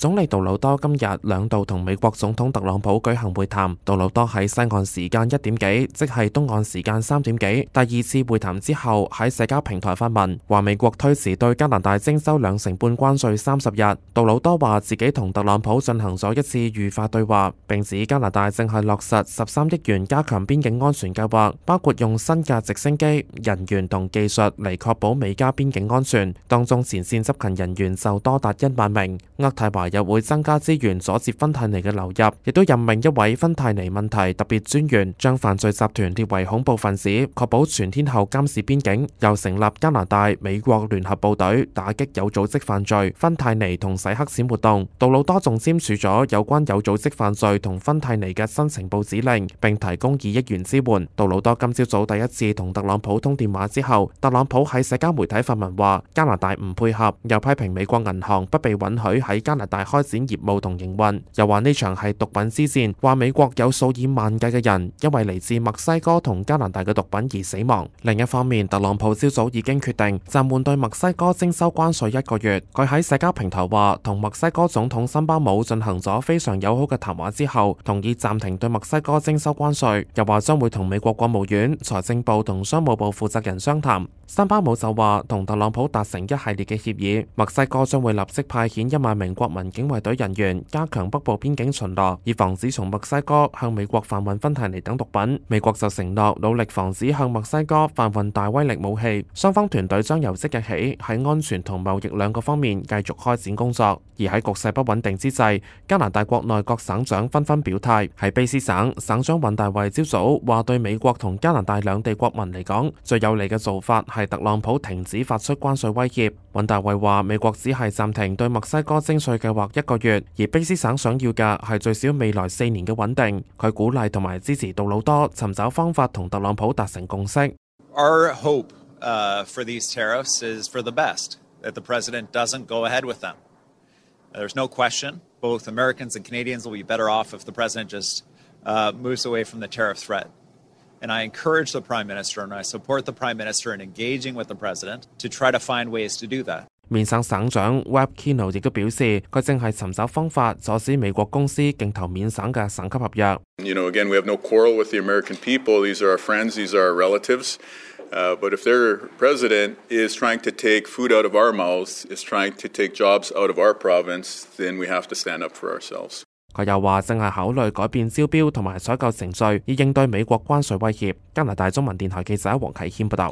總理杜魯多今日兩度同美國總統特朗普舉行會談。杜魯多喺西岸時間1點幾，即係東岸時間3點幾，第二次會談之後喺社交平台發文，話美國推遲對加拿大徵收2成半關稅30日。杜魯多話自己同特朗普進行咗一次愉快對話，並指加拿大正係落實13億元加強邊境安全計劃，包括用新嘅直升機、人員同技術嚟確保美加邊境安全，當中前線執勤人員就多達1萬名。渥太華又會增加資源阻截芬太尼嘅流入，亦都任命一位芬太尼問題特別專員，將犯罪集團列為恐怖分子，確保全天候監視邊境。又成立加拿大、美國聯合部隊，打擊有組織犯罪、芬太尼同洗黑錢活動。杜魯多仲簽署咗有關有組織犯罪同芬太尼嘅新情報指令，並提供2億元支援。杜魯多今朝早第一次同特朗普通電話之後，特朗普喺社交媒體發文話加拿大唔配合，又批評美國銀行不被允許喺加拿大開展業務同營運，又話呢場係毒品之戰，話美國有數以萬計嘅人因為嚟自墨西哥同加拿大嘅毒品而死亡。另一方面，特朗普朝早已經決定暫緩對墨西哥徵收關稅1個月。佢喺社交平台話，同墨西哥總統森巴姆進行咗非常友好嘅談話之後，同意暫停對墨西哥徵收關稅，又話將會同美國國務院、財政部同商務部負責人商談。森巴姆就話同特朗普達成一系列嘅協議，墨西哥將會立即派遣1萬名國民警衛隊人員加強北部邊境巡邏，以防止從墨西哥向美國販運芬太尼等毒品。美國就承諾努力防止向墨西哥販運大威力武器。雙方團隊將由即日起喺安全同貿易兩個方面繼續開展工作。而喺局勢不穩定之際，加拿大國內各省長紛紛表態。喺卑斯省，省長尹大衛朝早話對美國同加拿大兩地國民嚟講，最有利嘅做法係特朗普停止發出關稅威脅。尹大衛話美國只係暫停對墨西哥徵稅計劃1個月，而卑斯省想要嘅係最少未來4年嘅穩定。佢鼓勵同埋支持杜魯多尋找方法同特朗普達成共識。Our hope for these tariffs is for the best, that the president doesn't go ahead with them. There's no question both Americans and Canadians will be better off if the president just moves away from the tariff threat. And I encourage the Prime Minister and I support the Prime Minister in engaging with the President to try to find ways to do that. 面省省長 Webb Kino 亦都表示，佢正係尋找方法阻止美國公司競投面省嘅省級合約。Again, we have no quarrel with the American people. These are our friends, these are our relatives. But if their president is trying to take food out of our mouths, is trying to take jobs out of our province, then we have to stand up for ourselves. 佢又話正係考慮改變招標同埋採購程序，以應對美國關稅威脅。加拿大中文電台記者黃啟謙報道。